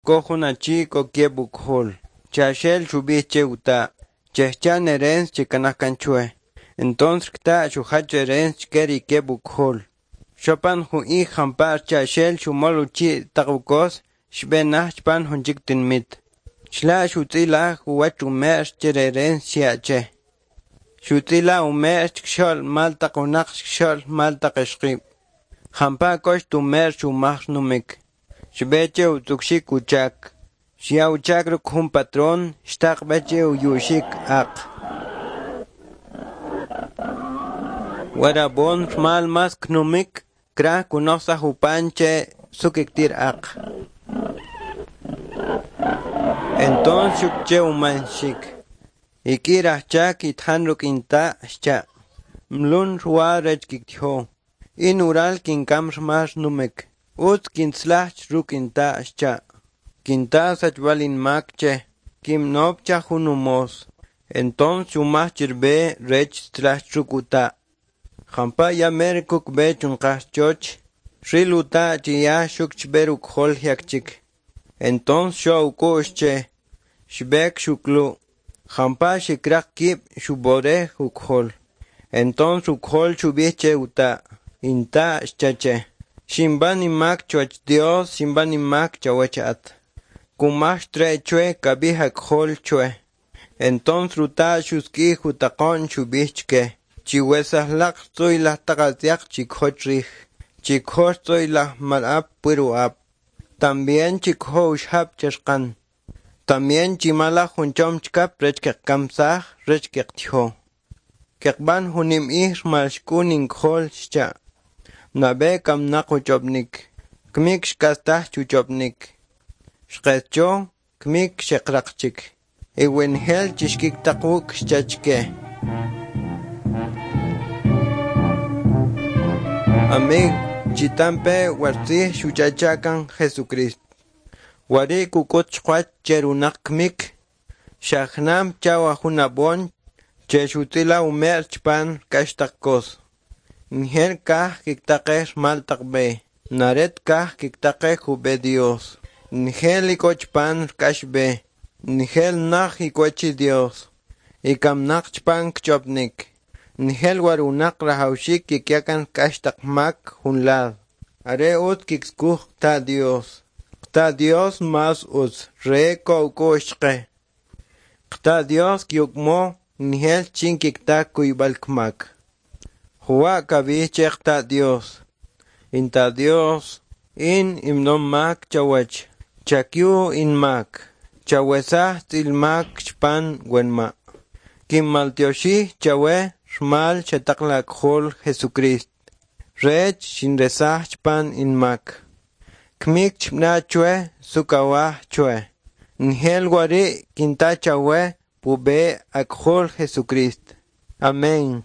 K'o jun achi k'o kieb' uk'jol. Cha'xel xub'ij che uta': Chejcha nerens che kanaj kan chwe. Entons kta' xujach herens chke ri kieb' uk'jol. Xopan jun ij jampa' cha'xel xumol uchi' taq ukos xb'e naj chpan jun chik tinmit. Chla' xutz'ilaj uwach ume'r che herens xya' che. Xutz'ila ume'r chkxo'l mal taq wnaq chkxo'l mal taq ixqib'. Jampa' k'ox tume'r xumaj numik. Xb'e che utzukxik uchak. Xya uchak ruk' jun patrón xtaq b'e che uyu'xik aq. Warab'on rmal mas knumik kraj kunojsaj upan che su kiktir aq. Entons xuk che umanxik. Ik'i rajchak itjan ruk' inta' xcha'. Mlun rwa rech kiktijo. In ural kinkam rmal numik. Utz kintzlaj ruk' inta' xcha'. Kinta sachb'al inmak che. Kimnob cha jun umos. Entons xumaj chirb'e rech tzlaj ruk' uta'. Jampa' ya mer kukb'e chunqaj choch. Xril uta' chi ya xuk chb'e ruk'jol yakchik. Entons xo' uk'u'x che. Xb'ek xuklu'. Jampa' xikraq kib' xub'orej uk'jol. Entons uk'jol xub'ij che uta': Inta' xcha che. Xinb'an inmak chuwach Dios, xinb'an inmak chawach at. Kumaj tre' chwe kab'ij ak'jol chwe. Entons ruta' xusk'ij utaqo'n xub'ij chke: Chiwesaj laq tz'uylaj taq atz'yaq chikjo chrij. Chikjo tz'uylaj mal'ab' pwiru'ab'. Tambien chikjo uxjab' che rqan. Tambien chimala jun chom chkap rech keqkamsaj rech keqtijo. Keqb'an jun nim'ij rmal xk'un ink'jol xcha'. Nab'e kamnaq uch'ob'nik. Kmik xk'astaj chuch'ob'nik. Xqescho, kmik xeqraq chik. Iwinjel chixkiktaq wuk' xcha chke. Amig, chitampe wartzij xuchachakan Jesucristo. Wari' kuk'ut chqwach che runaq kmik, xajnam chawa jun ab'on che xutz'ila ume'r chpan k'ax taq kos. Njel kaj kiktaqej rmal taq b'e, naret kaj kiktaqej ub'e Dios. Njel ik'o chpan k'ax b'e, njel naj ik'ochi Dios. Ikamnaq chpan kch'ob'nik. Njel war wnaq rajawxik kikyakan k'ax taq mak jun lad. Are utz kikskuj qta' Dios. Qta' Dios mas utz, re k'o uk'u'x chqe. Qta' Dios kyuk'mo njel chin kikta kuyb'al kmak. Juwa' kab'ij che qta' Dios. Inta Dios, in imnom mak chawach. Chakyu inmak. Chawesaj tz'il mak chpan wenma'. Kinmaltyoxij chawe rmal xataq la ak'jol Jesucrist. Rech xinresaj chpan inmak. Kmik chb'na chwe su kawaj chwe. Njel wari' kinta chawe pub'e ak'jol Jesucrist. Amén.